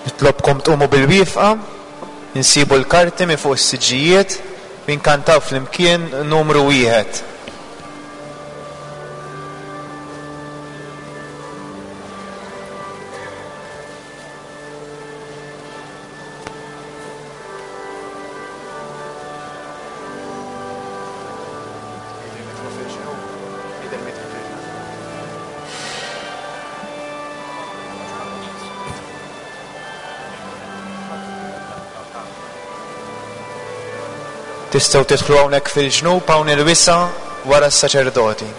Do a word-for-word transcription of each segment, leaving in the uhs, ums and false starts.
Nitlobkom tqumu bil-wieqfa, insibu l-karti minn fuq is-siġġijiet, inkantaw flimkien numru wieħed. Tistgħu tidħlu hawnhekk fil-ġnub hawn il-wisa' wara s-saċerdoti.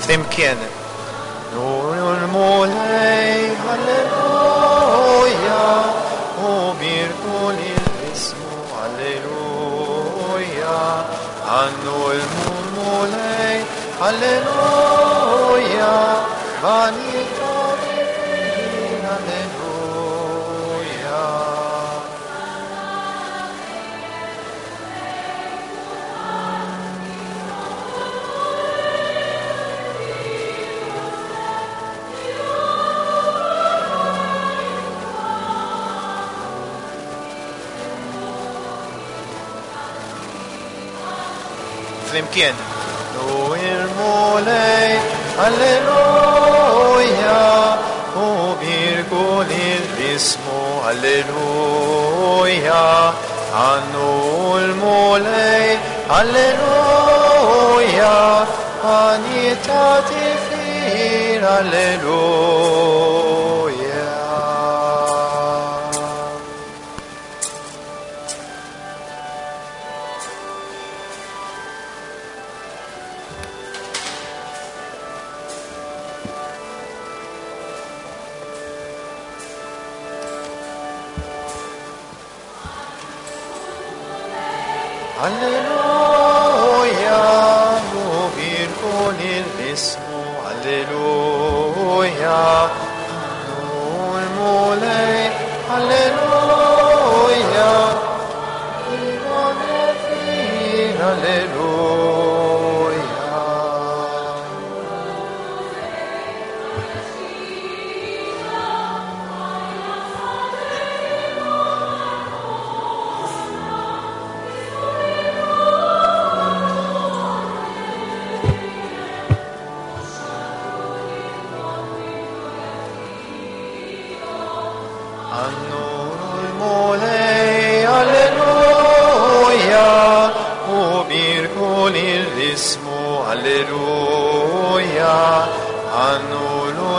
Flimkien. Nuru l-Mulej, Alleluja, u birku lil ismu, Alleluja. Għannu l-Mulej, Alleluja, vanità Alleluja. Flimkien. U il-Mulej, Alleluja, u birku lil ismu, Alleluja. Għannu l-Mulej, Alleluja, għanita tifir, Alleluja. Alleluja, u birku lil ismu, Alleluja. Għannu l-Mulej, Alleluja, Alleluja. Għannu l-Mulej, Alleluja, u birku lil ismu, Alleluja. Għannu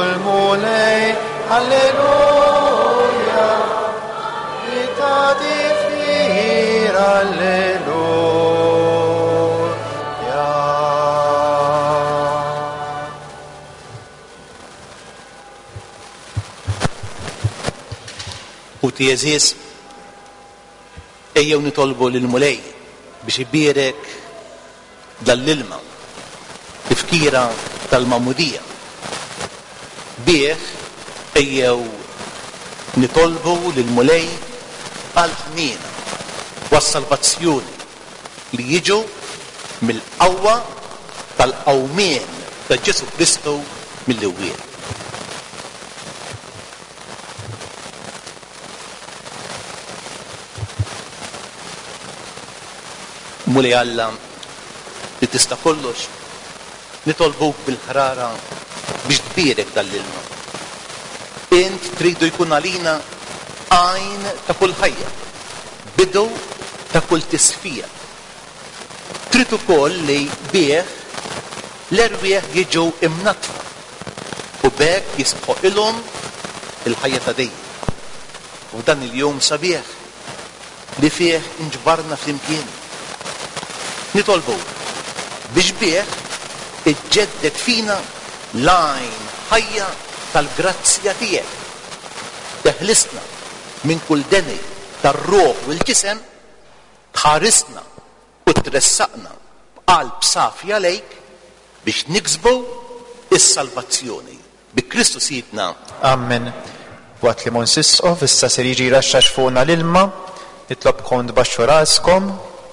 l-Mulej, Alleluja, ita tifir, Alleluja. Ħuti għeżież, ejjew nitolbu lill-Mulej biex ibierek dal-ilma, tifkira tal-Magħmudija. Bih ejjew nitolbu lill-Mulej għall-ħniena u għas-salvazzjoni li jiġu mill-qawwa tal-qawmien ta' Ġesù Kristu mill-imwiet. Mulej Alla li tista' kollox, nitolbuk bil-ħrara biex tbierek dal-ilma. Int tridu jkun għalina għajn ta' kull ħajja, bidu ta' kull tisfija. Trid ukoll li bih l-erwieħ jiġu imnatfa u b'hekk jistħoqilhom il-ħajja ta' dejjem. U f'dan il-jum sabiħ li fih inġbarna flimkien. Nitolbuk biex bih iġġedded fina l-għajn ħajja tal-grazzja tiegħek. Teħlisna minn kull deni tar-ruħ u l-ġisem, tħarisna u tressaqna b'qalb safja lejk biex niksbu is-salvazzjoni. Bi Kristu Sidna. Amen. Waqt li Mons Isqof issa ser jiġi jraxxax fuqna l-ilma, nitlobkom tbaxxu raskom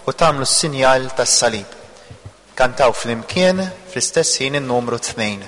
u tagħmlu s-sinjal tas-salib. Kantaw flimkien fl-istess ħin in-numru tnejn.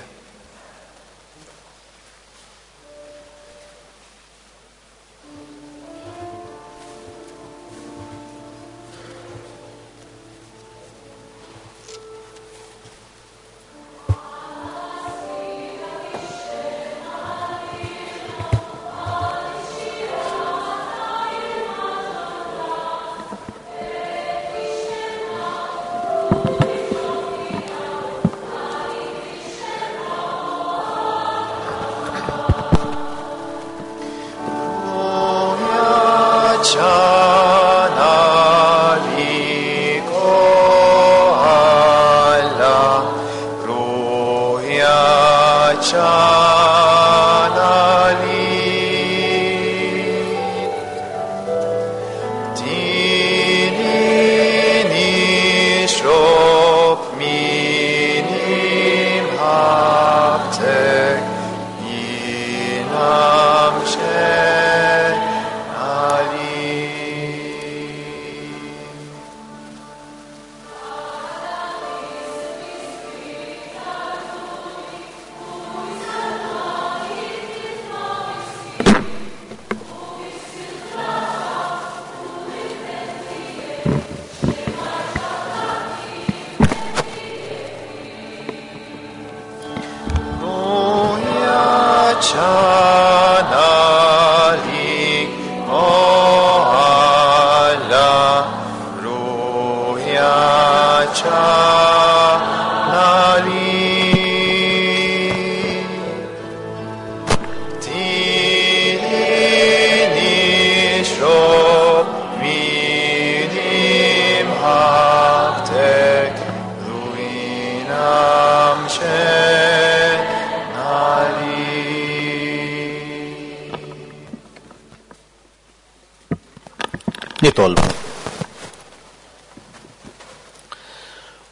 Nitolbu.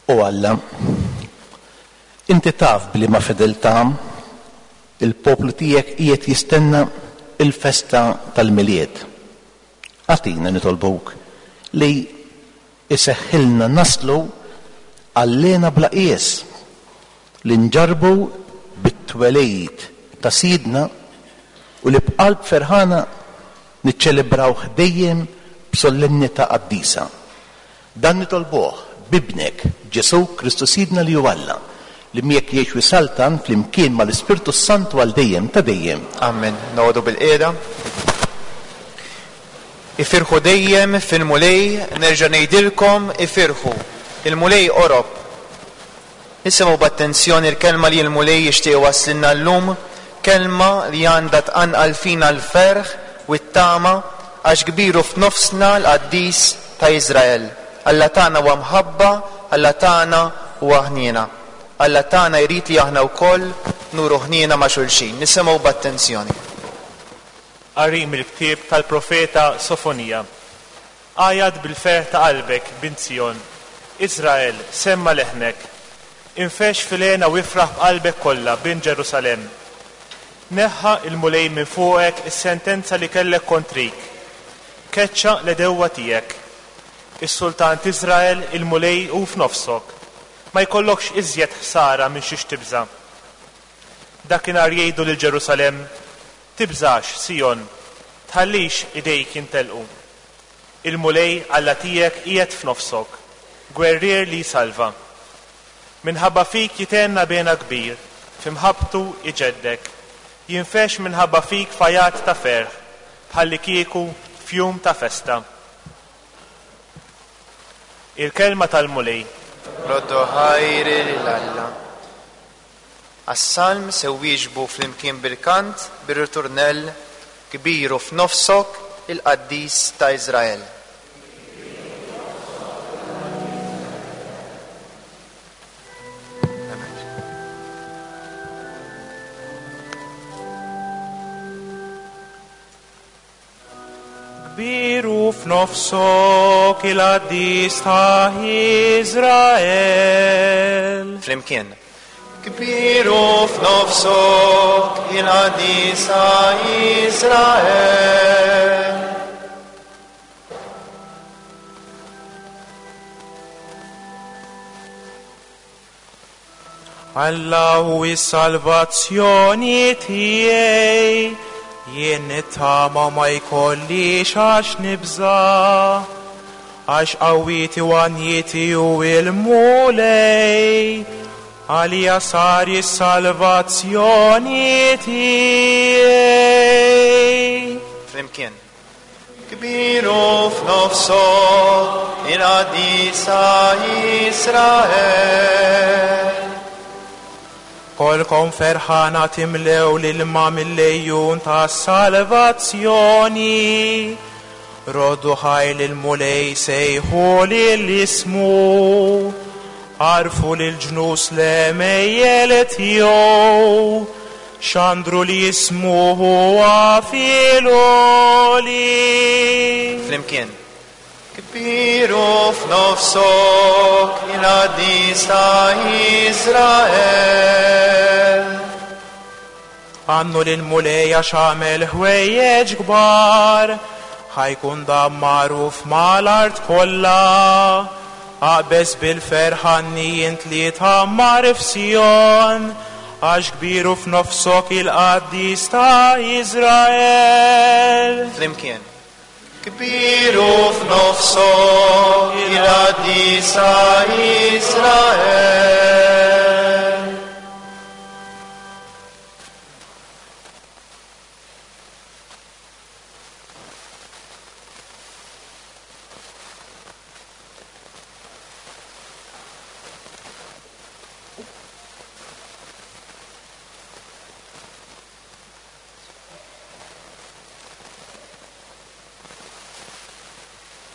O Alla, inti taf b'liema fedeltà il-poplu tiegħek qiegħed jistenna il-festa tal-Milied. Agħtina nitolbuk li iseħħilna naslu għallena bla qies li nġarbu bit-twelid ta' Sidna u li b'qalb ferħana niċċelebrawh dejjem b'solennità qaddisa. Dan nitolbuh b'ibnek Ġesù Kristu Sidna li hu Alla, li miegħek jgħix u jsaltan flimkien mal-Ispirtu Santu għal dejjem ta' dejjem. Amen. Noqogħdu bil-qiegħda. Ifirħu dejjem fil-Mulej, nerġa' ngħidilkom ifirħu. Il-Mulej qorob. Nisimgħu b'attenzjoni l-kelma li l-Mulej jixtieq iwasslilna llum, kelma li għandha tqanqal fina l-ferħ u t-tama għax kbiru f'nofsna l-qaddis ta' Iżrael. Alla tagħna huwa mħabba, Alla tagħna huwa ħniena. Alla tagħna jrid li aħna wkoll nuru ħniena ma' xulxin. Nisimgħu b'attenzjoni. Qari mill-ktieb tal-profeta Sofonija. Għajat bil-ferħ ta' qalbek, bint Sion. Iżrael, semma leħnek. Infex fil-hena u ifraħ b'qalbek kollha, bint Ġerusalemm. Neħħa il-Mulej minn fuqek is-sentenza li kellek kontrik. Keċċa l-edewwa tiegħek. Is-Sultan t'Iżrael il-Mulej hu f'nofsok. Ma jkollokx iżjed ħsara minn xiex tibża'. Dakinhar jgħidu lil Ġerusalemm, tibżax, Sion, tħallix idejk jintelqu. Il-Mulej Alla tiegħek qiegħed f'nofsok, gwerrier li jsalva. Minħabba fik jitenna bena kbir, f'imħabbtu iġeddek. Jinfex minħabba fik fajat ta' ferħ, bħalli kieku f'jum ta' festa. Il-kelma tal-Mulej. Roddu ħajr lil Alla. Għas-salm se wieġbu flimkien bil-kant bir-ritornell kbiru f'nofsok il-qaddis ta' Iżrael. Kbir hu f'nofsok il-qaddis ta' Iżrael. Flimkien. Kbir hu f'nofsok il-qaddis ta' Iżrael. Alla hu s-salvazzjoni tiegħi, jien nittama ma jkollix għax nibża', għax qawwieti u għanjieti hu l-Mulej, għalija sar is-salvazzjoni tiegħi. Flimkien. Kbir hu f'nofsok il-qaddis ta' Iżrael. Kolkom ferħana timlew l-ilma mill-lejjun ta' salvazzjoni. Roddu ħaj lil-Mulej sejħu lil ismu. Għarfu lil-ġnus l-għemejjel tiegħu. Xandru li jismu huwa fil-għoli. Flimkien. Kbir hu f'nofsok il-qaddis ta' Iżrael. Għannu lil-Mulej għax għamel ħwejjeġ kbar, ħajkun dan magħruf mal-art kollha. Aqbeż bil-ferħanni int li tgħammar f'Sijon, għax kbir hu f'nofsok il-qaddis ta' Iżrael. Flimkien. Kbir hu f'nofsok il-qaddis ta' Iżrael.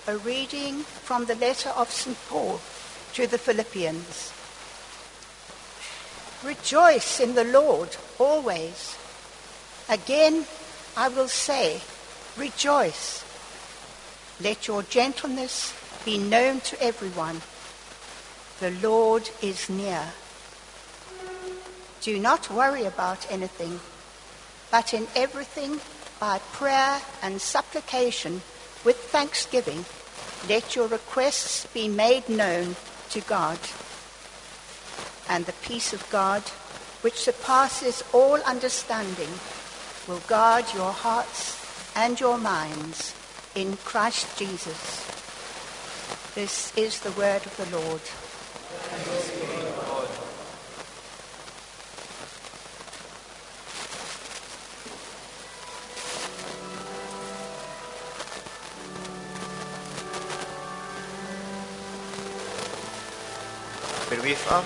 A reading from the letter of Saint Paul to the Philippians. Rejoice in the Lord always. Again, I will say, rejoice. Let your gentleness be known to everyone. The Lord is near. Do not worry about anything, but in everything, by prayer and supplication, with thanksgiving, let your requests be made known to God. And the peace of God, which surpasses all understanding, will guard your hearts and your minds in Christ Jesus. This is the word of the Lord. Bil-wifqa.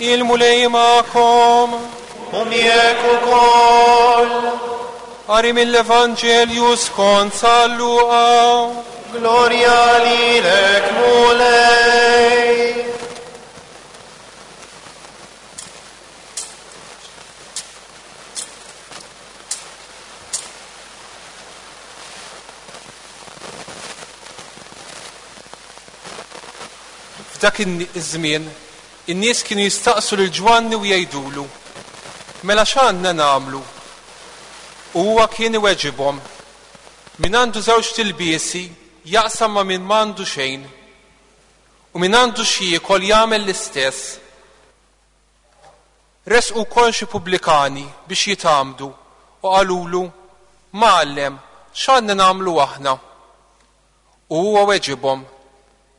Il-Mulej magħkom. U miegħek ukoll. Qari mill-Evanġelju skont San Luqa. Glorja lilek Mulej. F'dak iż-żmien, in-nies kienu jistaqsu lil Ġwanni u jgħidulu: Mela x'għandna nagħmlu? U huwa kien iweġibhom: Min għandu żewġ tilbiesi jaqsam ma' min m'għandu xejn, u min għandu x'jiekol jagħmel l-istess. Resqu wkoll xi pubblikani biex jitgħammdu u qalulu: Mgħallem, x'għandna nagħmlu aħna? U huwa weġibhom: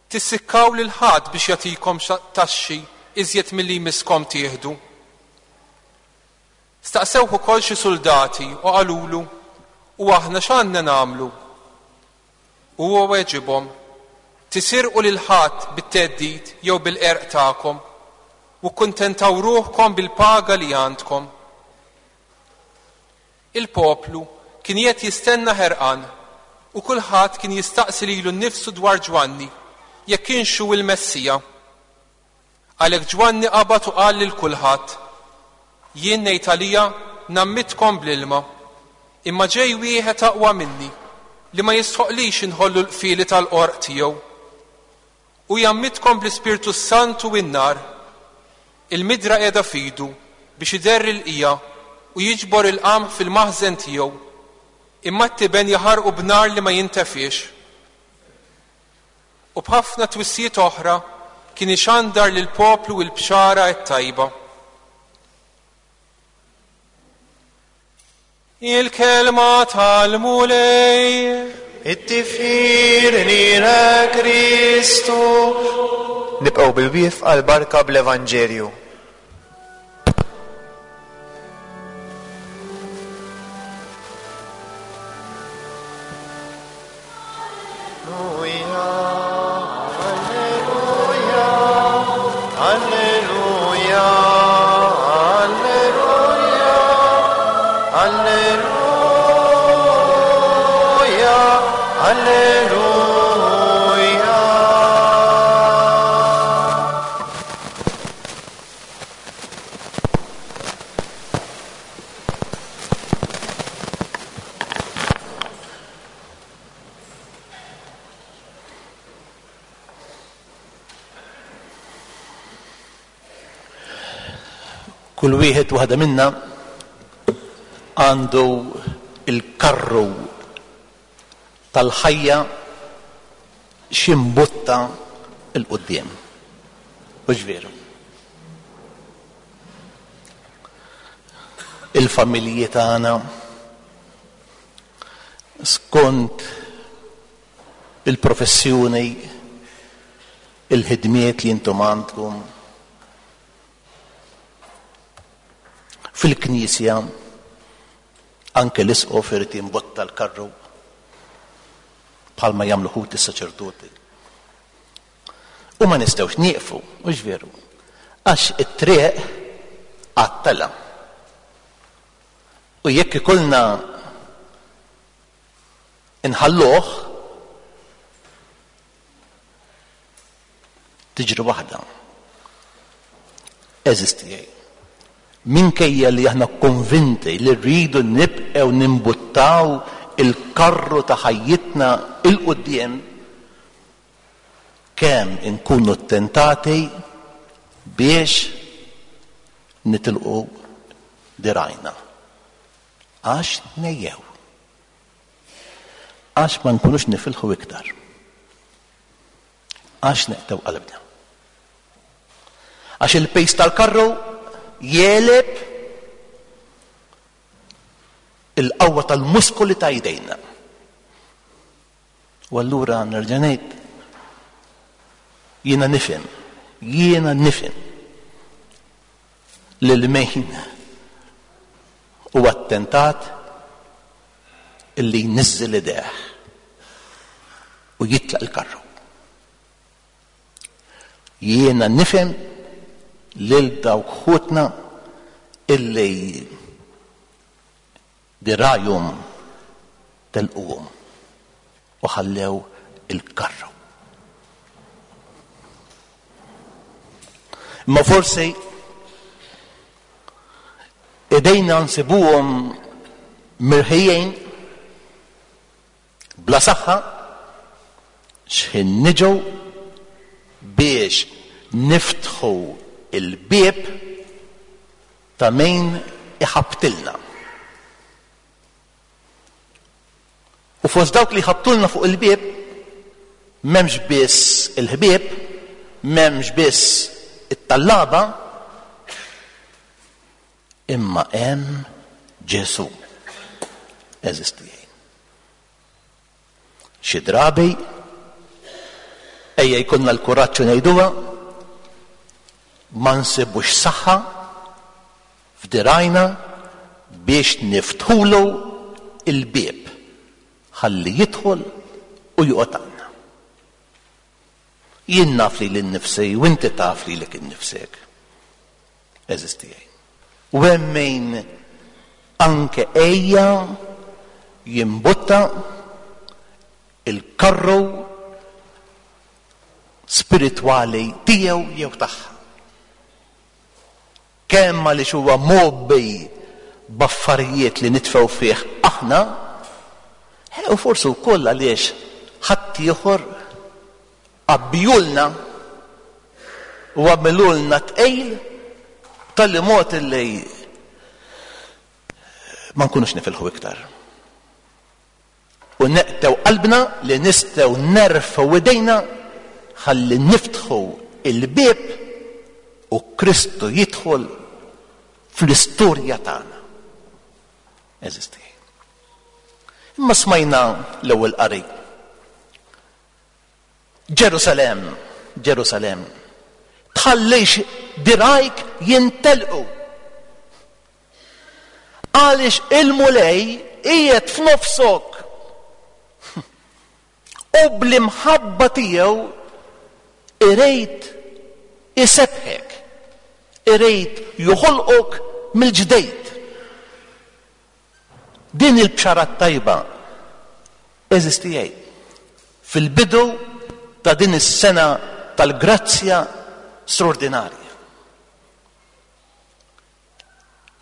Tissikkaw lil ħadd biex jagħtikom taxxi iżjed milli jmisskom tieħdu. Staqsewh ukoll xi suldati u qalulu: U aħna x'għandna nagħmlu? U huwa weġibhom: Tisirqu lil ħadd bit-theddid jew bil-qerq tagħkom, u kkuntentaw ruħkom bil-paga li għandkom. Il-poplu kien qed jistenna ħerqan, u kulħadd kien jistaqsi lilu nnifsu dwar Ġwanni jekk kienx hu il-Messija. Għalhekk Ġwanni qabad u qal lil kulħadd: Jien ngħid għalija ngħammidkom bl-ilma, imma ġej wieħed aqwa minni li ma jistħoqlix inħollu l-qfieli tal-qorq tiegħu. U jgħammidkom bl-Ispirtu Santu u n-nar. Il-midra qiegħda f'idu biex iderri l-qija u jiġbor il-qamħ fil-maħżen tiegħu, imma t-tiben jaħarqu b'nar li ma jintefiex. U b'ħafna twissijiet oħra kien ixandar lill-poplu l-bxara t-tajba. Il-kelma tal-Mulej. It-tifħir lilek Kristu. Nibqgħu bil-wieqfa għall-barka bl-Evanġelju. Alleluja, Alleluja, Alleluja, Alleluja. Kull wieħed waħda minna għandu il-karru tal-ħajja x'imbutta 'l quddiem. Hux veru? Il-familji tagħna skont il-professjoni, il-ħidmiet li intom għandkom fil-knisja, anke l-isqof irid jimbotta l-karru bħalma jagħmlu ħut is-saċerdoti. U ma nistgħux nieqfu, mhux veru, għax it-triq għattela. U jekk ikollna inħalluh, tiġri waħda. Eżisti tiegħi. Minkejja li aħna konvinti li rridu nibqgħu nimbuttaw il-karru ta' ħajjitna 'il quddiem, kemm inkunu ttentati biex nitilqu dirajna. Għax nejjew. Għax ma nkunux nifilħu iktar. Għax neqtew qalbna. Għax il-pejs tal-karru jeleb il-qawwa tal-muskoli ta' jdejna. U allura nerġa' ngħid, jiena nifhem, jiena nifhem lil min huwa attentat illi jniżżel idejh u jitlaq il-karru. Jiena nifhem lil dawk ħutna illi dirajhom telquhom u ħallew il-karru. Imma forsi idejna nsibuhom mirħijin bla saħħa x'ħin niġu biex niftħu il-bieb ta' min iħabtilna. U fost dawk li ħabtulna fuq il-bieb m'hemmx biss il-ħbieb, m'hemmx biss it-tallaba, imma hemm Ġesù. Eżisti. Xi drabi ejja jkollna l-kuraġġ ngħiduha, ma nsibux saħħa f'dirajna biex niftħulu il-bieb ħalli jidħol u joqgħod għandna. Jien naf li lil nifsi u inti taf lilek innifsek. Eżisti. U hemm min anke ejja jimbutta il-karru spiritwali tiegħu jew tagħha. Kemm għaliex huwa mgħobbi b'affarijiet li nitfgħu fih aħna, u forsi wkoll għaliex ħaddieħor għabbijulna u għamilulna tqejl tal-li mod li ma nkunux nifilħu iktar. U neqtew qalbna li nistgħu nerfgħu idejna ħalli niftħu il-bieb u Kristu jidħol fl-istorja tagħna. Eżisti. Imma smajna l-ewwel qari. Ġerusalem, Ġerusalem, tħallix dirajk jintelqu. Għaliex il-Mulej qiegħed f'nofsok. U bl-imħabba tiegħu irid isebħek, irid joħolqok mill-ġdejt. Din il-bxara tajba eżistijaj fil-bidu ta' din is-sena tal-grazzja straordinarja.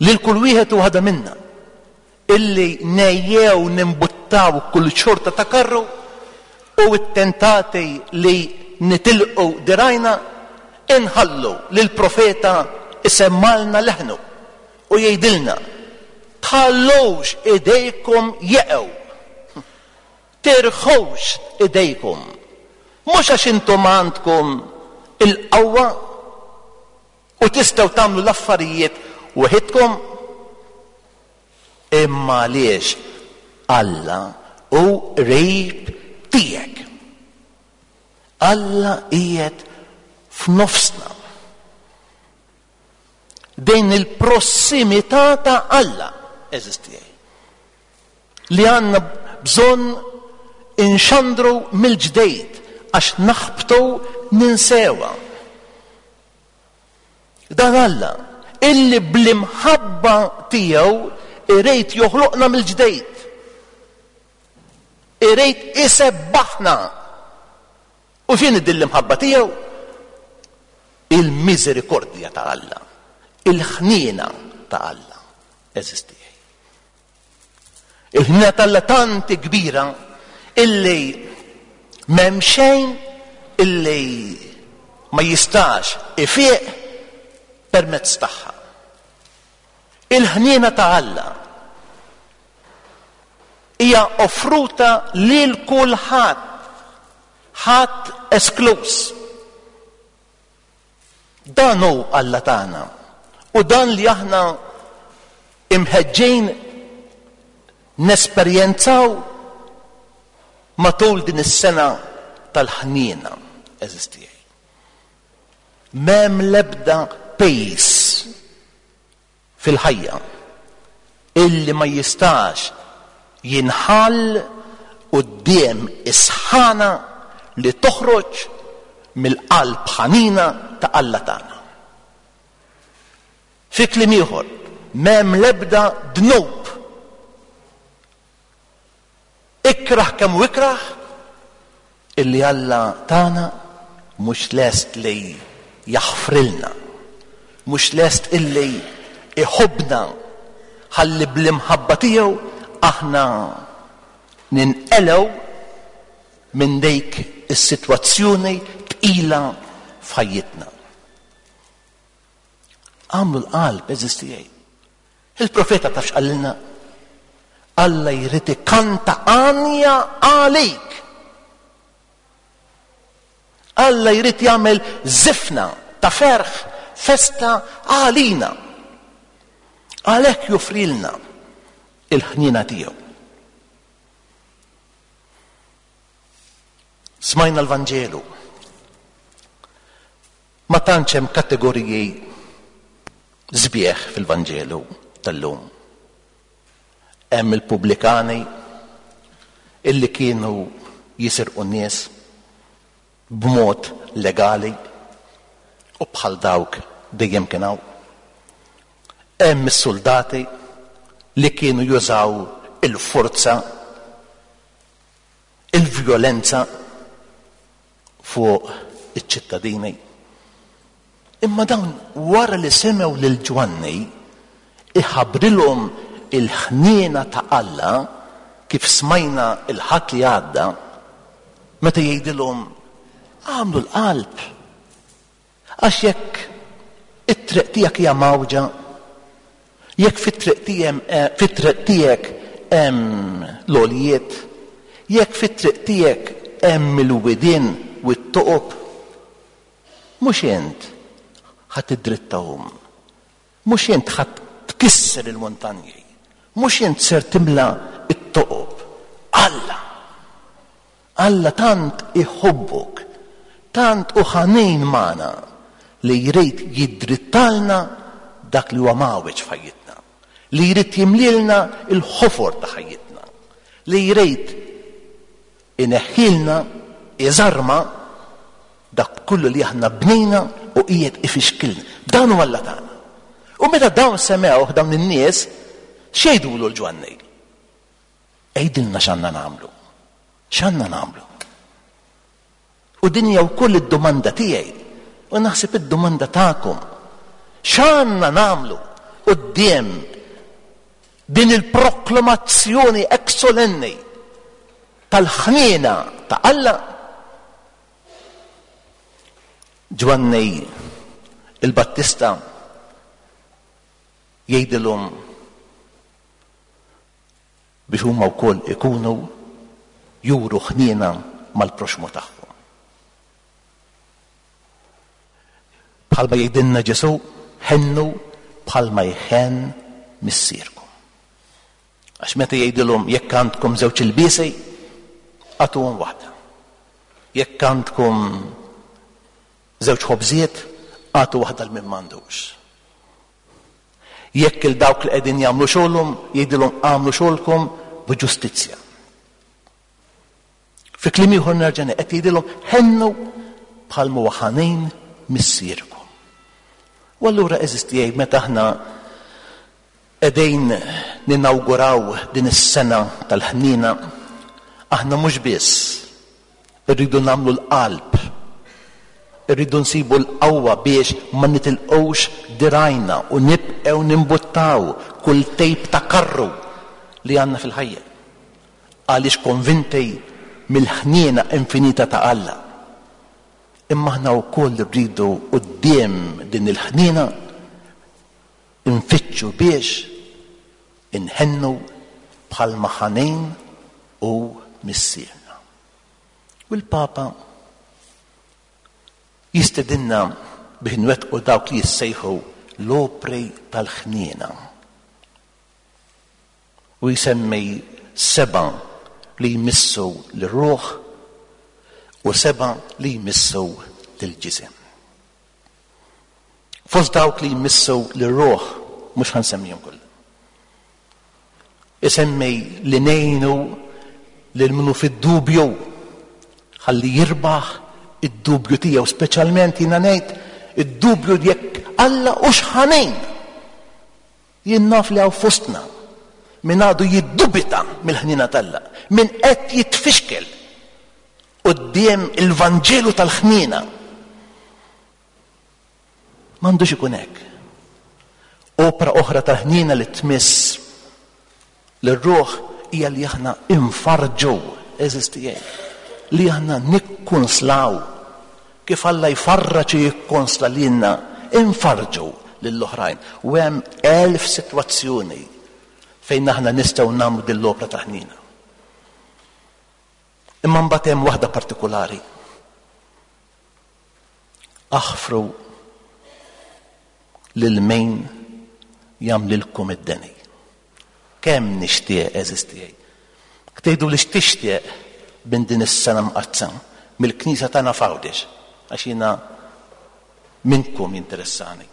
Lil kull wieħed u waħda minna illi nejjew nimbuttaw kull xorta ta' karru u t-tentati li nitilqu dirajna, inħallu lil profeta isemmalna leħnu u jgħidilna tħallux idejkom jeqgħu, tirħux idejkom, mhux għax intom għandkom il-qawwa u tistgħu tagħmlu l-affarijiet waħedkom, imma għaliex Alla hu qrib tiegħek. Alla qiegħed f'nofsna. Din il-prossimità ta' Alla eżisti li għandna bżonn inxandru mill-ġdejt għax naħbtu ninsewa. Dan Alla illi bl-imħabba tiegħu irid joħloqna mill-ġdejt, irid isebbaħna. U x'inhi din l-imħabba tiegħu? Il-miżerikordja ta' Alla, il-ħniena ta' Alla eżisti. Il-ħniena ta' Alla tanti kbira illi m'hemm xejn illi ma jistax ifiq permezz tagħha. Il-ħniena ta' Alla hija offruta lil kulħadd, ħadd esklus. Dan hu Alla tagħna u dan li aħna imħeġġin nesperjenzaw matul din is-sena tal-ħniena eżistijaj. M'hemm l-ebda pejs fil-ħajja illi ma jistax jinħall quddiem is-sħana li toħroġ mill-qalb ħanina ta' Alla tagħna. Fi kliem ieħor, m'hemm l-ebda dnub. Ikraħ kemm u ikraħ illi Alla tagħna mhux lest li jaħfrilna, mhux lest illi iħobbna ħalli bl-imħabba tiegħu aħna ninqelgħu minn dik is-sitwazzjoni tqila f'ħajjitna. Għamlu l-qalb, għeżież tiegħi. Il-profeta taf x'qalilna? Alla jrid ikanta għanja għalik. Alla jrid jagħmel żifna ta' ferħ, festa għalina. Għalhekk joffrilna il-ħniena tiegħu. Smajna l-Vanġelu. Ma tantx hemm kategoriji sbieħ fil-Vanġelu tal-lum. Hemm il-pubblikani illi kienu jisirqu n-nies b'mod legali u bħal dawk dejjem kien hawn. Hemm is-soldati li kienu jużaw il-forza, il-vjolenza fuq iċ-ċittadini. Imma dawn wara li semgħu lil Ġwanni iħabbrilhom il-ħniena ta' Alla kif smajna il-Ħadd li għadda, meta jgħidilhom għamlu l-qalb, għax jekk it-triq tiegħek hija mawġa, jekk fit-triq tiegħek tiegħek hemm l-għoljiet, jekk fit-triq tiegħek hemm il-widien u t-toqob, mhux int ħa tiddrittahom, mhux int ħa tkisser il-muntanji, mhux int ser timla t-toqob. Alla, Alla tant iħobbok, tant u ħanin magħna li jrid jiddrittalna dak li huwa mawġ f'ħajjitna, li jrid jimlilna il-ħofor ta' ħajjitna, li jrid ineħħilna iżarma dak kullu li aħna bnejna u qiegħed ifixkilna. Dan huwa Alla tagħna. U meta dawn semgħuh dawn in-nies, x'jgħidulu l-Ġwanni? Għidilna x'għandna nagħmlu. X'għandna nagħmlu? U din hija wkoll id-domanda tiegħi, u naħseb id-domanda tagħkom. X'għandna nagħmlu quddiem din il-proklamazzjoni hekk solenni tal-ħniena ta' Alla? Ġwanni il-Battista jgħidilhom biex huma wkoll ikunu juru ħniena mal-proxmu tagħhom. Bħalma jgħidilna Ġesù, ħennu bħalma jħenn missierkom. Għax meta jgħidilhom jekk għandkom żewġ ilbiesi, agħtuhom waħda. Jekk għandkom żewġ ħobżiet, agħtu waħda l min m'għandux. Jekk il dawk li qegħdin jagħmlu xogħolhom, jgħidilhom agħmlu xogħolkom b'ġustizzja. Fi kliem ieħor nerġa' qed jgħidilhom ħennu bħalma huwa ħanin missierkom. U allura għeżież tiegħi, meta aħna qegħdin ninawguraw din is-sena tal-ħniena, aħna mhux biss irridu nagħmlu l-qalb, irridu nsibu l-qawwa biex ma nitilqux dirajna u nibqgħu nimbuttaw kull tejp ta' karru li għandna fil-ħajja, għaliex konvinti mill-ħniena infinita ta' Alla. Imma aħna wkoll irridu quddiem din il-ħniena nfittxu biex inħennu bħalma ħanin u missierna. U l-Papa jistedinna biex nwettqu dawk li jissejħu l-opri tal-ħniena. U jsemmi seba' li jmissu l-ruħ u seba' li jmissu l-ġisem. Fost dawk li jmissu l-ruħ, mhux ħansemmihom kollha. Isemmi li ngħinu lil minnu fid-dubju ħalli jirbaħ id-dubju tiegħu, speċjalment jiena ngħid id-dubju jekk Alla hux ħanin. Jien naf li hawn fostna min għadu jiddubita mill-ħniena t'Alla, min qed jitfixkel quddiem il-Vanġelu tal-ħniena. M'għandux ikun hekk. Opra oħra tal-ħniena li tmiss lir-ruħ hija li aħna infarġu, għeżież tiegħi, li aħna nikkunslaw. Kif Alla jfarraġ u jikkonsla lilna, infarġu lill-oħrajn. U hemm elf sitwazzjoni fejn aħna nistgħu nagħmlu din l-opra ta' ħnina. Imma mbagħad hemm waħda partikolari. Aħfru lil min jagħmlilkom id-deni. Kemm nixtieq, għeżież tiegħi. Tgħidu li x'tixtieq minn din is-sena mqaddsa mill-Knisja tagħna f'Għawdex, għax jiena minnkom jinteressani.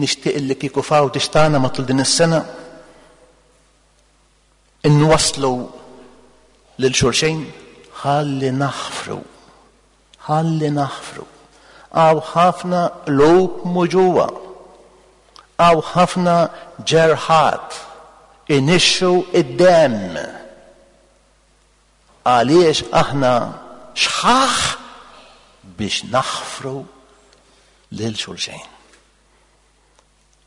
Nixtieq li kieku f'Għawdex tagħna matul din is-sena inwasslu lil xulxejn ħalli naħfru, ħalli naħfru. Hawn ħafna qlub muġugħa, hawn ħafna ġerħat inixxu id-demm. Għaliex aħna xħaħ biex naħfru lil xulxejn.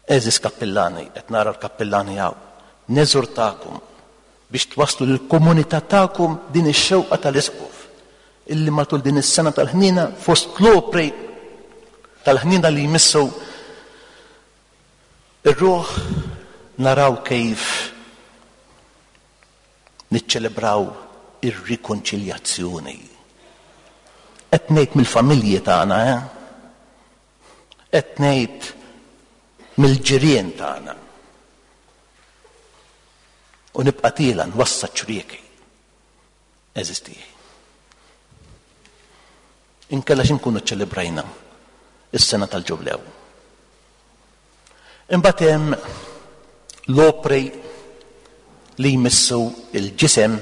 Għeżież kappillani, qed nara l-kappillani hawn, neżurtakom biex twasslu lill-komunità tagħkom din ix-xewqa tal-Isqof illi matul din is-sena tal-ħnina fost l-opri tal-ħnina li jmissu ir-ruħ naraw kif niċċelebraw ir-rikonċiljazzjoni. Qed ngħid mill-familji tagħna, eh? Qed ngħid mill-ġirien tagħna. U nibqa' tiela nwassa ċrieki. Għeżież tiegħi. Inkella x'inkunu ċċelebrajna is-sena tal-Ġublew. Imbagħad hemm l-opri li jmissu il-ġisem,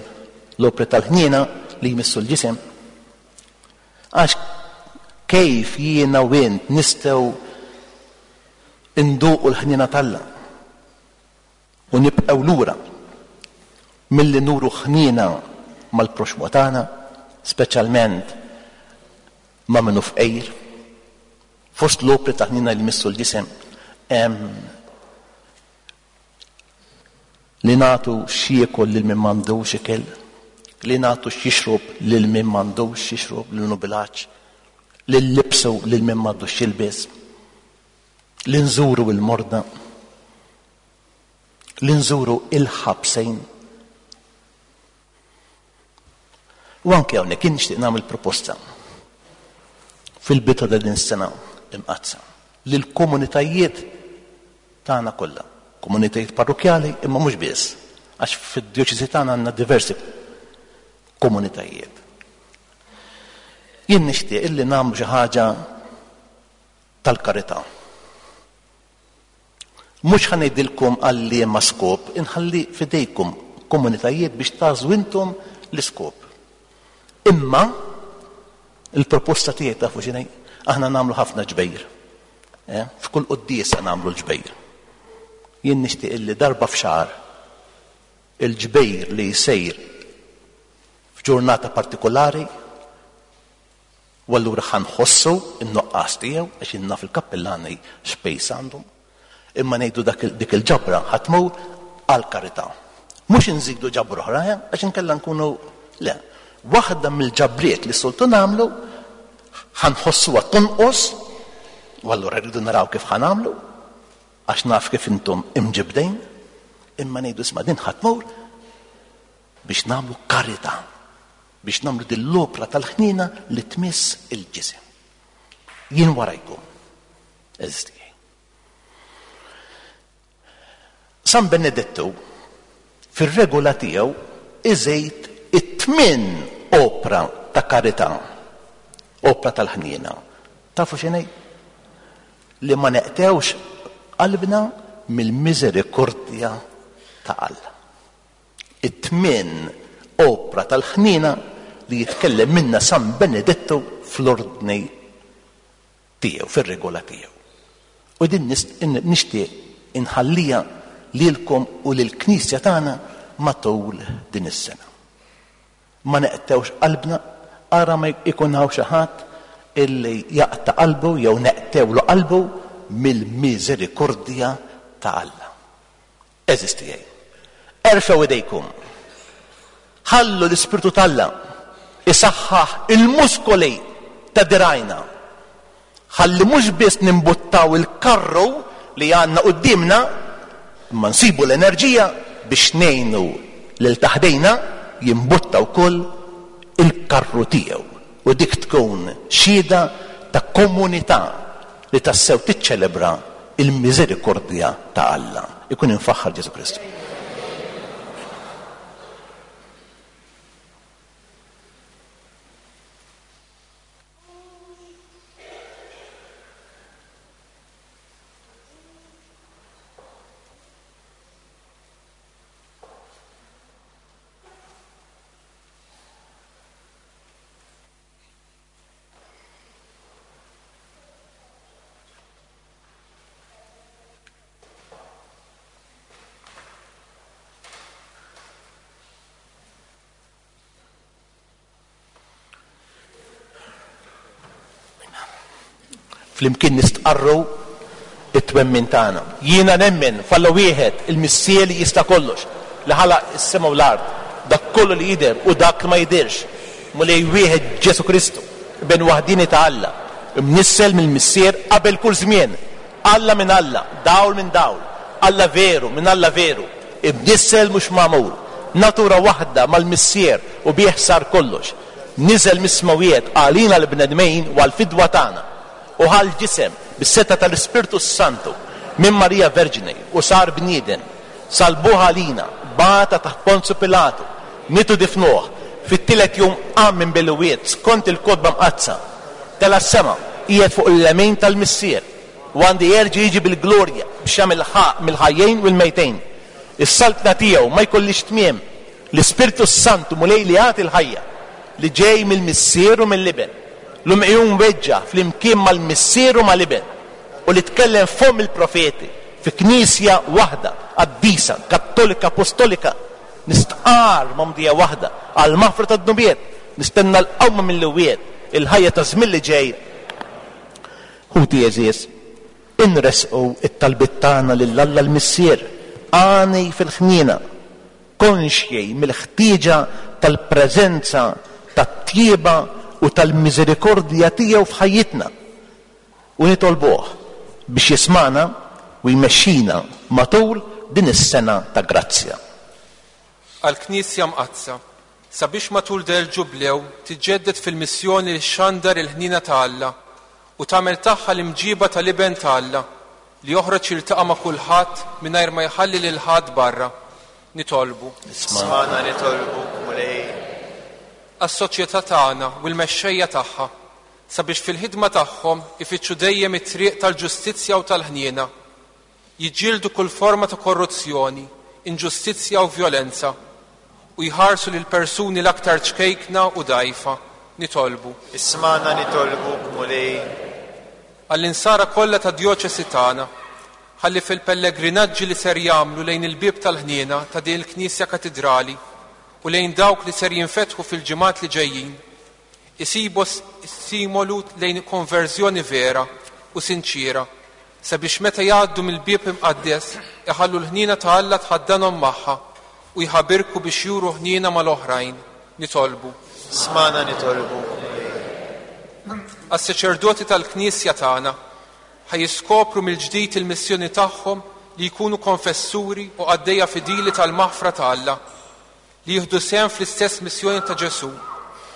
l-opri tal-ħniena li jmissu l-ġisem. Għax kif jiena u int nistgħu nduqu l-ħniena t'Alla u nibqgħu lura milli nuru ħniena mal-proxmu tagħna, speċjalment ma' minnu fqir. Fost l-opri ta' ħniena li jmissu l-ġisem hemm li nagħtu x'jiekol lil min m'għandux ikel, li nagħtu x'jixrob lil min m'għandux x'jixrob, lil minnu bil-għatx, li nlibsu lil min m'għandux x'jilbes, li nżuru l-morda, li nżuru il-ħabsejn. U anke hawnhekk jien nixtieq nagħmel proposta fil-bidu ta' din is-sena imqaddsa lill-komunitajiet tagħna kollha, komunitajiet parrokkjali imma mhux biss, għax fid-djoċesi tagħna għandna diversi komunitajiet. Jien nixtieq illi nagħmlu xi ħaġa tal-karità. Mhux ħa ngħidilkom għal liema skop, inħalli f'idejkom komunitajiet biex tagħżlu intom l-iskop. Imma il-proposta tiegħi tafu x'inhi? Aħna nagħmlu ħafna ġbejr. Eh? F'kull quddiesa nagħmlu l-ġbejr. Jien nixtieq illi darba f'xahar il-ġbejr li jsejr f'ġurnata partikolari, u allura ħa nħossu n-nuqqas tiegħu għax jien naf il-kappillani x'pejs għandhom, imma ngħidu dak il-, dik il-ġabra ħa tmur għall-karità. Mhux inżidu ġabra oħra, eh? Għax inkella nkunu le. Waħda mill-ġabriet li soltu nagħmlu ħa nħossuha tonqos, u allura rridu naraw kif ħa nagħmlu, għax naf kif intom imġibdejn, imma ngħidu isma' din ħa tmur biex nagħmlu karità, biex nagħmlu din l-opra tal-ħniena li tmiss il-ġisem. Jien warajkom, għeżież tiegħi. San Benedettu fir-regola tiegħu iżejt it-tmien opra ta' karità, opra tal-ħniena. Tafu x'inhi? Li ma neqtewx qalbna mill-miżerikordja ta' Alla. It-tmien opra tal-ħniena li jitkellem minna San Benedettu fl-ordni tiegħu, fir-regola tiegħu. U din nis-, in-, nixtieq inħallija lilkom u lill-Knisja tagħna matul din is-sena. Ma neqtewx qalbna, ara ma jkun hawn xi ħadd illi jaqta' qalbu jew neqtewlu qalbu mill-miżerikordja ta' Alla. Għeżież tiegħi, erfgħu idejkom, ħallu l-Ispirtu t'Alla isaħħaħ il-muskoli ta' dirajna. Ħalli mhux biss nimbuttaw il-karru li għandna quddiemna, imma nsibu l-enerġija biex ngħinu lil taħdejna jimbutta wkoll il-karru tiegħu. U dik tkun xhieda ta' komunità li tassew tiċċelebra il-miżerikordja ta' Alla. Ikun infaħħar Ġesù Kristu. Flimkien nistqarru it-twemmin tagħna. Jiena nemmen f'Alla wieħed, il-Missier li jista' kollox, li ħalaq is-sema u l-art, dak kollu li jidher u dak li ma jidhirx, Mulej wieħed Ġesù Kristu, ben waħdini ta' Alla, imnissel mill-Missier qabel kull żmien, Alla minn Alla, dawl minn dawl, Alla veru minn Alla veru, imnissel mhux magħmul, natura waħda mal-Missier u bih sar kollox. Niżel mis-smawiet għalina l-bnedmin u għall-fidwa tagħna, u ħal ġisem bis-seta tal-Ispirtu Santu minn Marija Verġni u sar bniedem, salbuh għalina, bata taħt Ponzju Pilatu, mitu difnuh, fit-tielet jum qam minn bel-imwiet skont il-Kotba Mqaddsa, tela' s-sema, qiegħed fuq il-lemin tal-Missier, u għandi jerġa' jiġi bil-glorja biex jagħmel ħaq mill-ħajjin u l-mejtejn. Is-saltna tiegħu ma jkollix tmiem. L-Ispirtu Santu Mulej li jagħti l-ħajja, li ġej mill-Missier u mill-Iben, l-umqijum weġġa flimkien mal-Missier u mal-Iben, u li tkellem fomm il-profeti fi knisja waħda, qaddisa, kattolika, apostolika, nistqar mamdija waħda għal maħfra tad-dnubiet, nistenna l-qawma mill-imwiet, il-ħajja ta' żmien li ġej. Ħuti għeżież, inresqu it-talbiet tagħna lil Alla l-Missier, għani fil-ħniena, konxji mill-ħtieġa tal-preżenza tat-tjieba u tal-miżerikordja tiegħu f'ħajjitna, u nitolbuh biex jismana u jmexxina matul din is-sena ta' grazzja. Għall-Knisja Mqaddsa, sabiex matul del ġublew tiġġedded fil-missjoni li xandar il-ħniena ta' Alla u tagħmel tagħha l-imġiba tal-Iben ta' Alla li joħroġ jiltaqa' ma' kulħadd mingħajr ma jħalli lil ħadd barra. Nitolbu. Ismagħna nitolbu, Mulej. Għas-soċjetà tagħna u l-mexxejja tagħha, sabiex fil-ħidma tagħhom ifittxu dejjem it-triq tal-ġustizzja u tal-ħniena, jiġġieldu kull forma ta' korruzzjoni, inġustizzja u vjolenza, u jħarsu lil persuni l-aktar ċkejkna u dgħajfa. Nitolbu. Ismagħna nitolbu, Mulej. Għall-insara kollha tad-djoċesi tagħna, ħalli fil-pellegrinaġġi li ser jagħmlu lejn il-bieb tal-ħniena ta' din il-Knisja Katidrali u lejn dawk li ser jinfetħu fil-ġimgħat li ġejjin, isibu simolu lejn konverżjoni vera u sinċira, sabiex meta jgħaddu mill-bieb imqaddes iħallu l-ħniena ta' Alla tħaddanhom magħha u jħabirku biex juru ħniena mal-oħrajn. Nitolbu. Smana nitolbu. Għas-saċerdoti tal-Knisja tagħna ħaj jiskopru mill-ġdid il-missjoni tagħhom li jkunu konfessuri u qaddejja fidili tal-maħfra ta' Alla, li jieħdu sehem fl-istess missjoni ta' Ġesù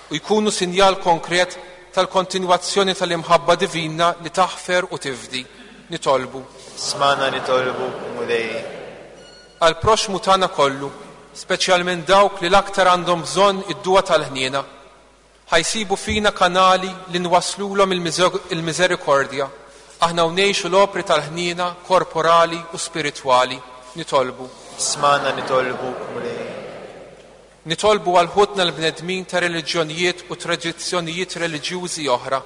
u jkunu sinjal konkret tal-kontinwazzjoni tal-imħabba divina li taħfer u tifdi. Nitolbu. Smana nitolbu, Mulej. Għall-proxmu tagħna kollu, speċjalment dawk li l-aktar għandhom bżonn id-dua tal-ħniena, ħajsibu fina kanali li nwaslulhom il-miżerikordja, aħna ngħixu l-opri tal-ħniena korporali u spiritwali. Nitolbu. Smana nitolbu, Mulej. Nitolbu għal ħutna l-bnedmin ta' reliġjonijiet u tradizzjonijiet reliġjużi oħra.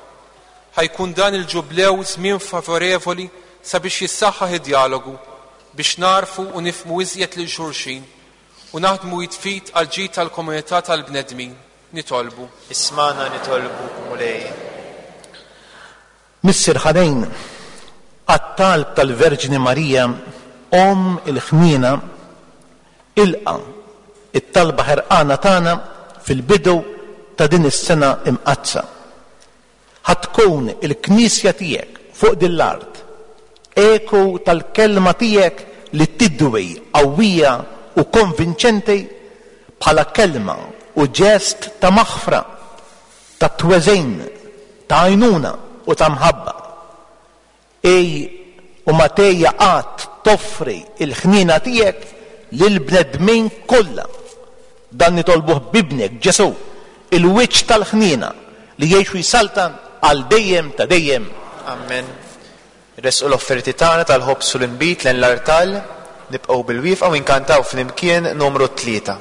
Ħajkun dan il-ġublew żmien favorevoli sabiex jissaħħaħ id-dialogu, biex narfu u nifmu iżjed lil xulxin u naħdmu jitfit għal ġid tal-komunità tal-bnedmin. Nitolbu. Ismana nitolbu, Mulej. Missier ħanin, għat-talb tal-Verġni Marija, Omm il-ħniena, ilqa it-talba ħerqana tagħna fil-bidu ta' din is-sena imqaddsa. Ħa tkun il-Knisja tiegħek fuq din l-art, eku tal-kelma tiegħek li tidwi qawwija u konvinċenti bħala kelma u ġest ta' maħfra, ta' tweżin, ta' għajnuna u ta' mħabba. Ej u ma tgħejja qatt toffri l-ħniena tiegħek lill-bnedmin kollha. Dan nitolbuh b'Ibnek Ġesù, il-wiċċ tal-ħniena li jgħix u jsaltan għal dejjem ta' dejjem. Amen. Resqu l-offerti tagħna tal-ħobż u l-inbid lejn l-artal, nibqgħu bil-wieqfa u nkantaw flimkien numru tlieta.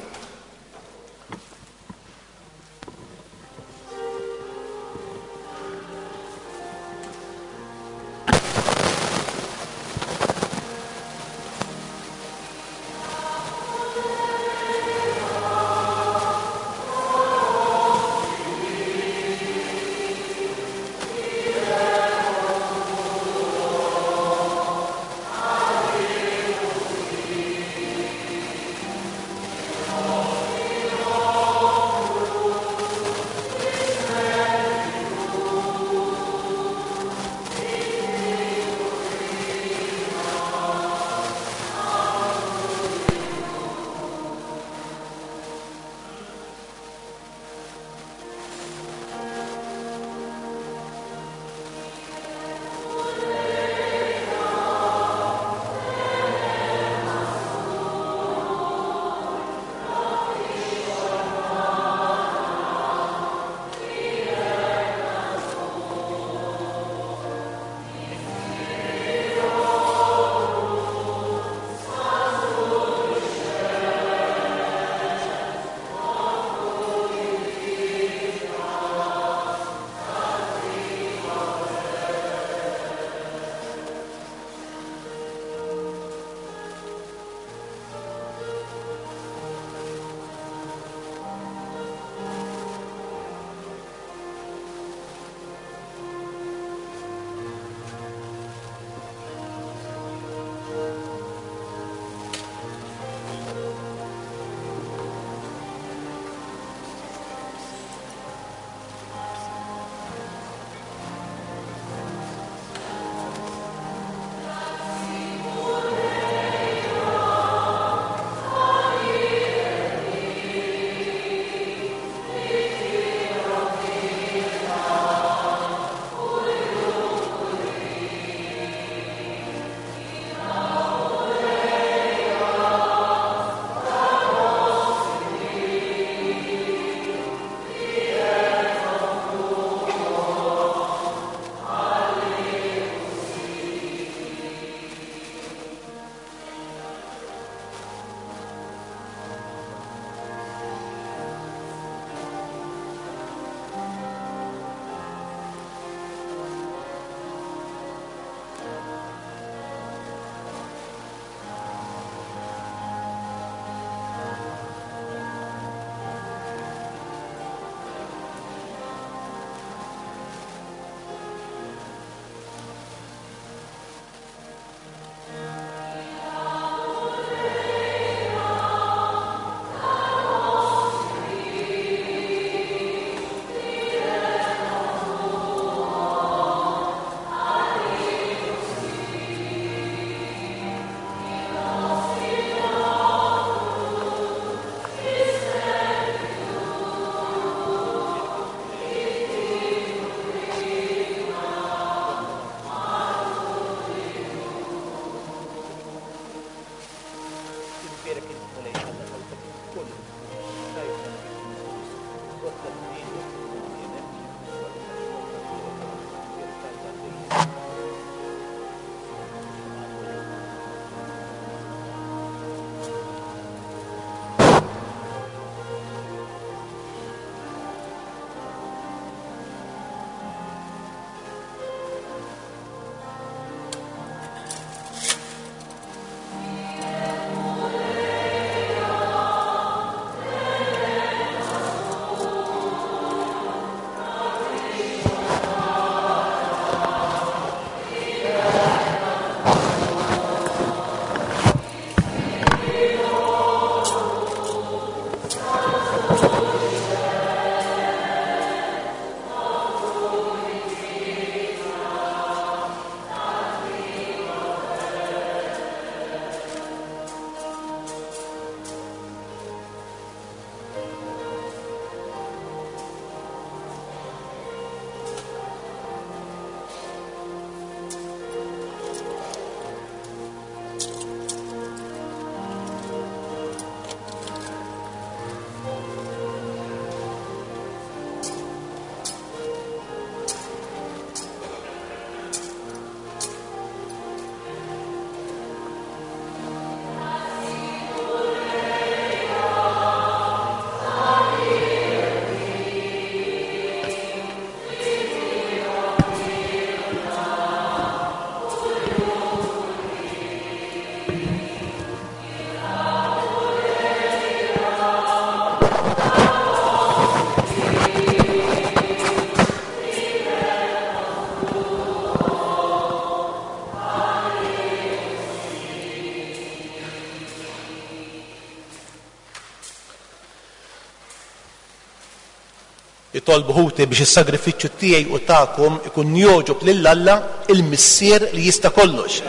Itolbu ħuti biex is-sagrifiċċju tiegħi u tagħkom ikun jogħġob lil Alla il-Missier li jista' kollox.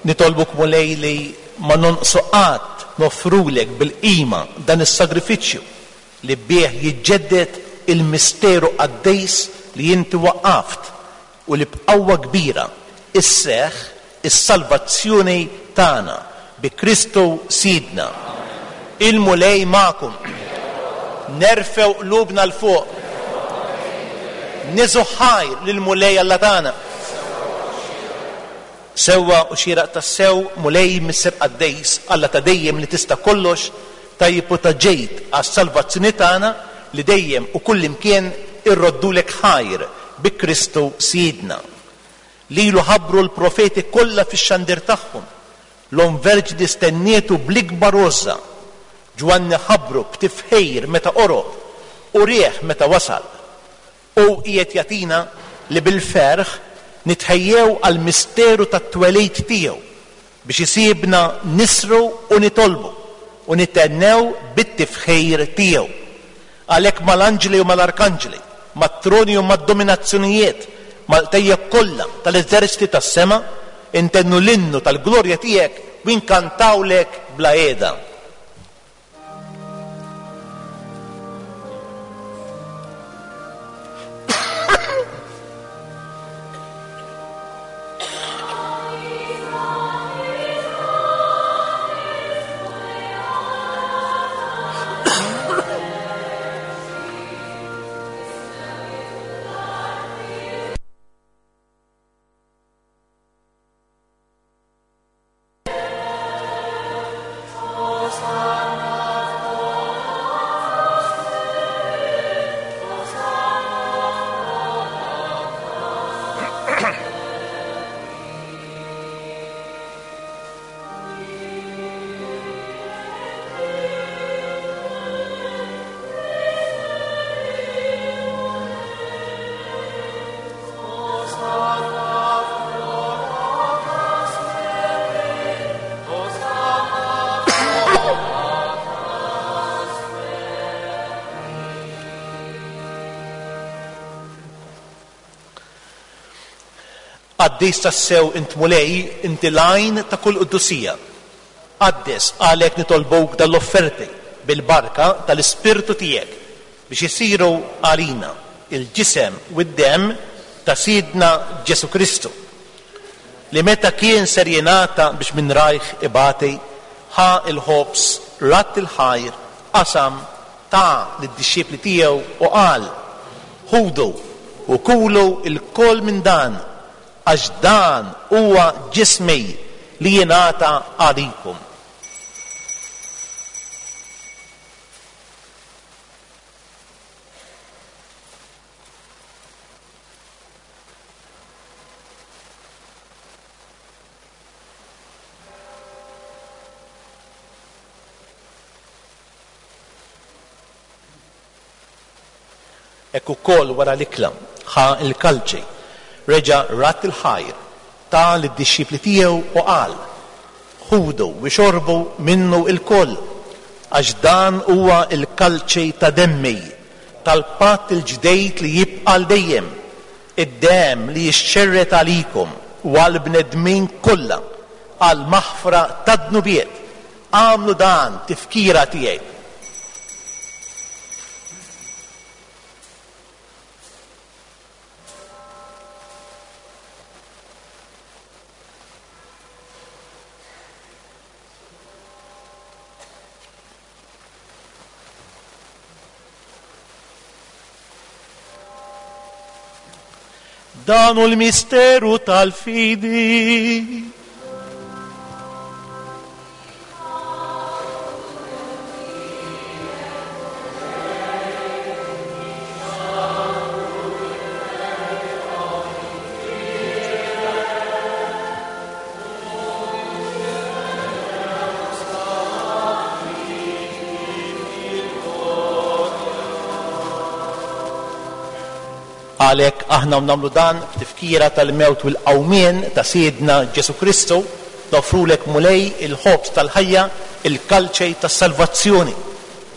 Nitolbuk Mulej li ma nonqsu qatt nofrulek bil-qima dan is-sagrifiċċju li bih jiġġedded il-misteru qaddis li inti waqqaft u li b'qawwa kbira isseħħ is-salvazzjoni tagħna bi Kristu Sidna. Il-Mulej magħkom. Nerfgħu qlubna 'l fuq. Niżu ħajr lill-Mulej Alla tagħna. Sewwa u xieraq tassew Mulej Missier Qaddis, Alla ta' dejjem li tista' kollox, tajjeb u ta' ġejt għas-salvazzjoni tagħna li dejjem u kullimkien irroddulek ħajr bi Kristu Sidna. Lilu ħabbru l-profeti kollha fix-xandir tagħhom. L-Omm Verġni stennietu bl-ikbar għożża. Ġwanni ħabbru b'tifħir meta qorob u rieħ meta wasal. U qiegħed jagħtina li bil-ferħ nitħejjew għall-misteru tat-twelid tiegħu biex isibna nisru u nitolbu u nitennew bit-tifħir tiegħu. Għalhekk mal-anġli u mal-arkanġli, mat-troni u mad-dominazzjonijiet, mal-qtejja kollha tal-eżerċti tas-sema, intennu l-innu tal-glorja tiegħek u nkantawlek bla qiegħda. Qaddis tassew int Mulej, inti l-għajn ta' kull qudusija. Qaddis għalhekk nitolbuk dal-offerti bil-barka tal-Ispirtu tiegħek biex isiru għalina il-ġisem u d-demm ta' Sidna Ġesu Kristu, li meta kien ser jingħata biex minn rajh ibati, ħa il-ħobż, radd il-ħajr, qasam, ta lid-dixxipli tiegħu u qal: Ħudu u kulu lkoll minn dan, għax dan huwa ġismi li jingħata għalikom. Hekk ukoll wara l-ikla ħa l-kalċi, reġa' radd il-ħajr, ta lid-dixxipli tiegħu u qal: Ħudu u xorbu minnu lkoll, għax dan huwa l-kalċi ta' demmi, tal-patt il-ġdejt li jibqa' għal dejjem, id-demm li jixxerred għalikom u għall-bnedmin kollha għal maħfra tad-dnubiet. Agħmlu dan tifkira tiegħi. Dan hu l-misteru tal-fidi. Għalhekk aħna nagħmlu dan f'tifkira tal-mewt u l-qawmien ta' Sidna Ġesu Kristu, Noffrulek Mulej il-ħobż tal-ħajja, il-kalċej tas-salvazzjoni.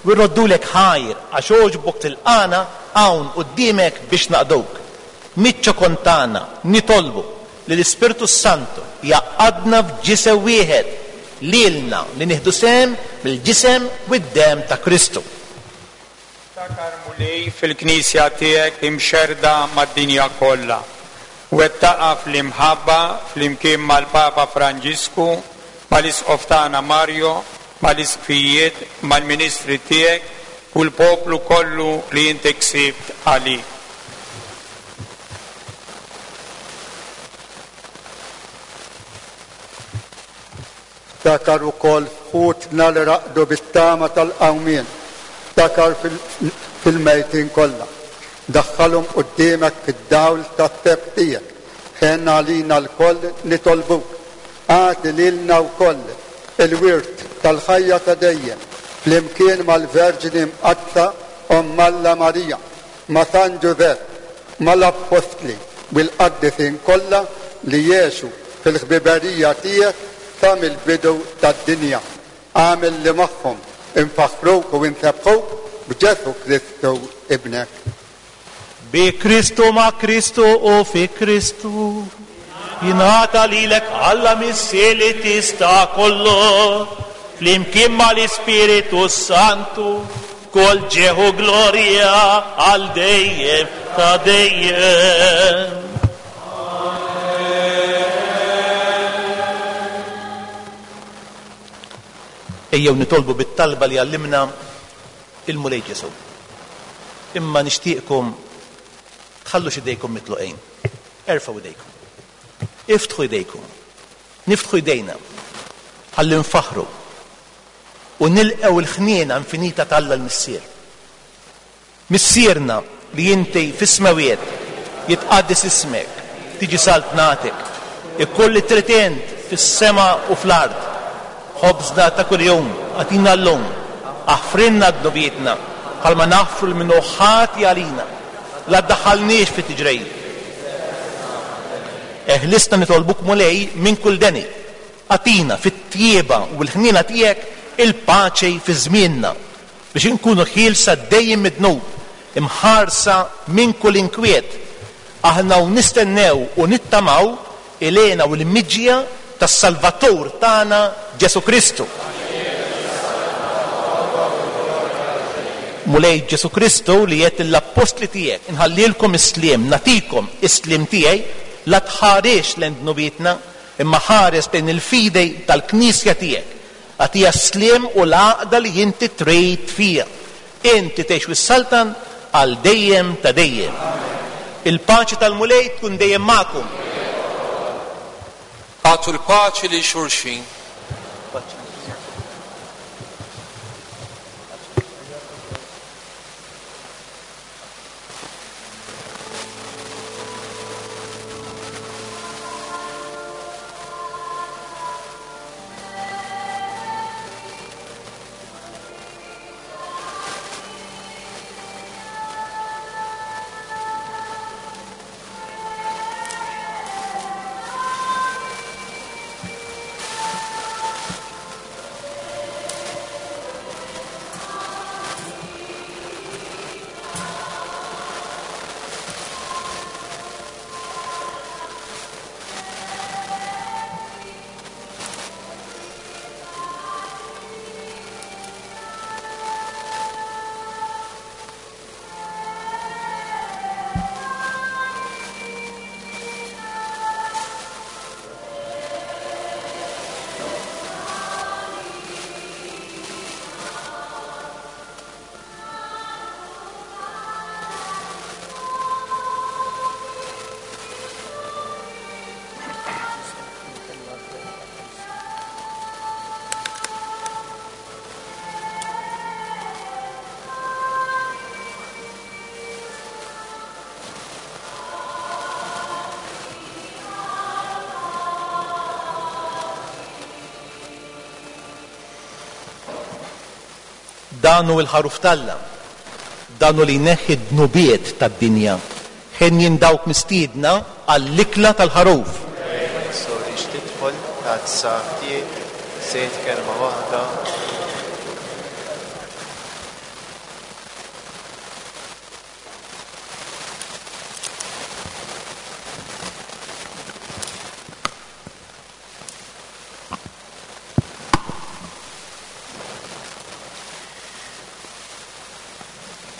U rroddulek ħajr għax għoġbok tilqagħna hawn quddiemek biex naqduk. Miċ-ċokon tagħna nitolbu li l-Ispirtu Santu jgħaqqadna f'ġisem wieħed lilna li nieħdu sehem mill-ġisem u d-demm ta' Kristu. Ftakar Mulej fil-Knisja tiegħek imxerda mad-dinja kollha. Wettaqha fl-imħabba flimkien mal-Papa Franġisku, mal-Isqof tagħna Mario, mal-Isqfijiet, mal-Ministri tiegħek u l-poplu kollu li inti ksibt għalik. Ftakar ukoll ħutna li raqdu bit-tama tal-qawmien. Ftakar fil-mejtin kollha. Daħħalhom quddiemek fid-dawl tat-teb tiegħek. Ħenn għalina lkoll nitolbuk. Agħti lilna wkoll il-wirt tal-ħajja ta' dejjem flimkien mal-Verġni Mqaddsa Omm Alla Marija, ma' San Ġużepp, mal-Appostli u l-qaddisin kollha li jgħixu fil-ħbiberija tiegħek sa mill-bidu tad-dinja. Agħmel li magħhom infaħħruk u nsebbħuk b'Ġesù Kristu ibnek. Bi Kristu, ma' Kristu u fi Kristu jingħata lilek Alla Missier li tista' kollu flimkien mal-Ispiritu Santu kull ġieħ u glorja għal dejjem ta' dejjem. Ejjew nitolbu bit-talba li għallimna il-Mulej Ġesù. Imma nixtieqkom tħallux idejkom mitluqin. Erfgħu idejkom. Iftħu idejkom. Niftħu idejna ħalli nfaħħru u nilqgħu l-ħniena infinita t'Alla l-Missier. Missierna li inti fis-smawiet, jitqaddes ismek, tiġi saltnatek, ikun li trid int fis-sema u fl-art. Ħobżna ta' kuljum agħtina llum, aħfrilna dnubietna bħalma naħfru lil min hu ħati għalina, la ddaħħalniex fit-tiġrejn. Eħlisna nitolbuk Mulej minn kull deni. Agħtina fit-tjieba u l-ħniena tiegħek il-paċi fi żmienna biex inkunu ħielsa dejjem mid-dnub, imħarsa minn kull inkwiet. Aħna u nistennew u nittamaw ilena u l-miġja tas-Salvatur tagħna Ġesù Kristu. Mulej Ġesù Kristu li qed lill-appostli tiegħek inħallilkom is-sliem, nagħtikom is-sliem tiegħi, la tħarex lejn dnubietna, imma ħares lejn il-fidej tal-Knisja tiegħek. Agħtiha s-sliem u l-għaqda li inti trid fiha. Inti tgħix wis-saltan għal dejjem ta' dejjem. Il-paċi tal-Mulej tkun dejjem magħkom. Agħtu l-paċi lil xulxin. Dan hu l-ħaruf t'Alla, dan hu li jneħħi d-dnubiet tad-dinja. Ħenjin dawk mistiedna għall-ikla tal-ħaruf. Ma jsorrix tidħol Tazza ftit, sejt kelma waħda.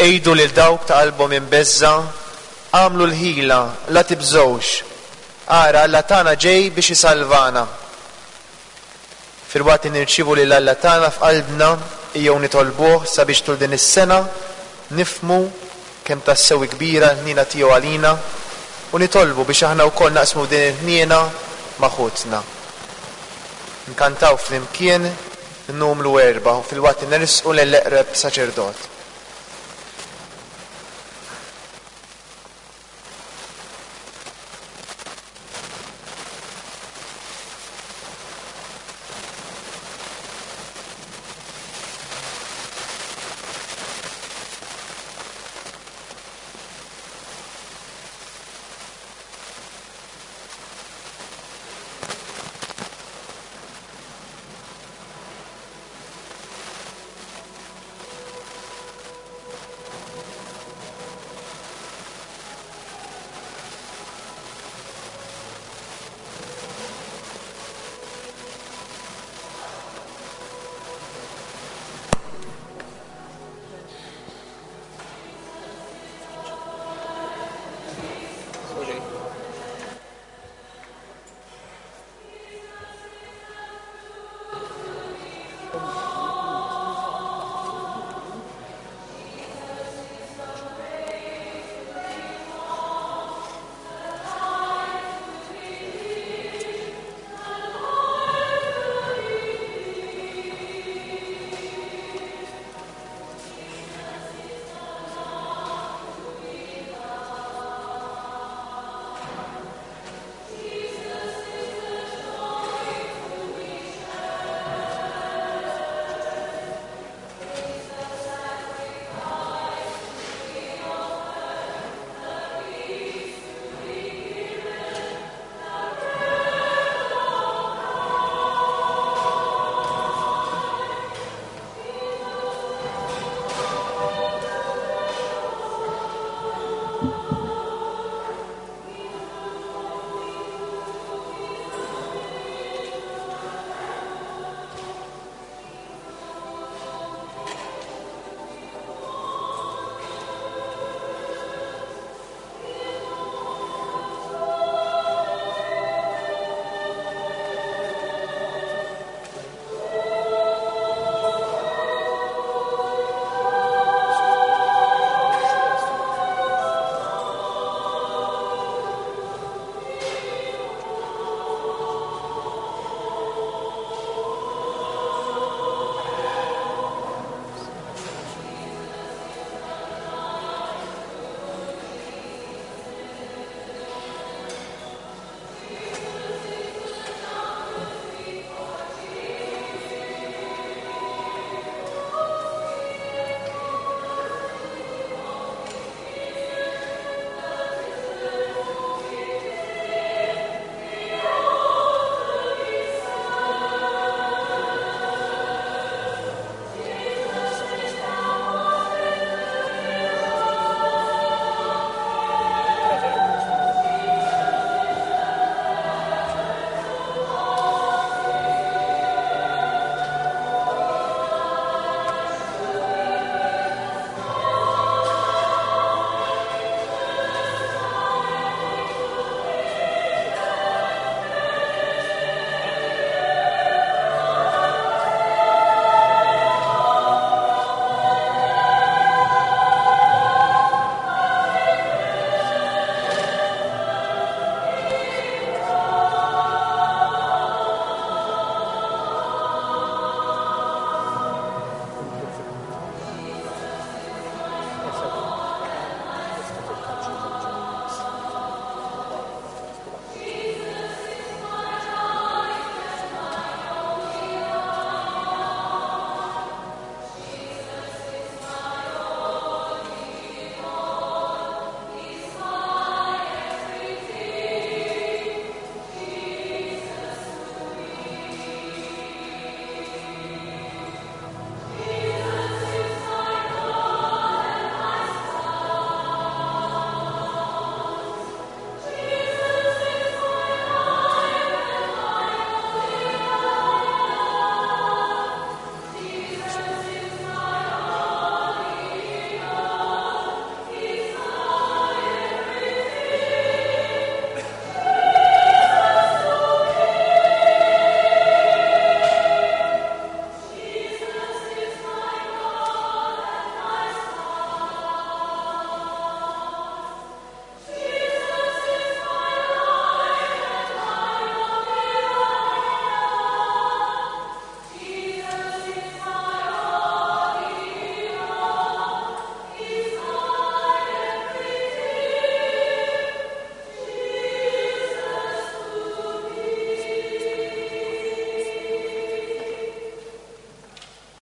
Għidu lil dawk ta' qalbhom imbeżża', agħmlu l-ħila, la tibżgħux. Ara, Alla tagħna ġej biex isalvana. Filwaqt li nirċievu lil Alla tagħna f'qalbna, ejjew nitolbuh sabiex tul din is-sena nifhmu kemm tassew kbira l-ħniena tiegħu għalina u nitolbu biex aħna wkoll naqsmu din il-ħniena ma' ħutna. Nkantaw flimkien numru erba' u filwaqt li nersqu lill-eqreb saċerdot.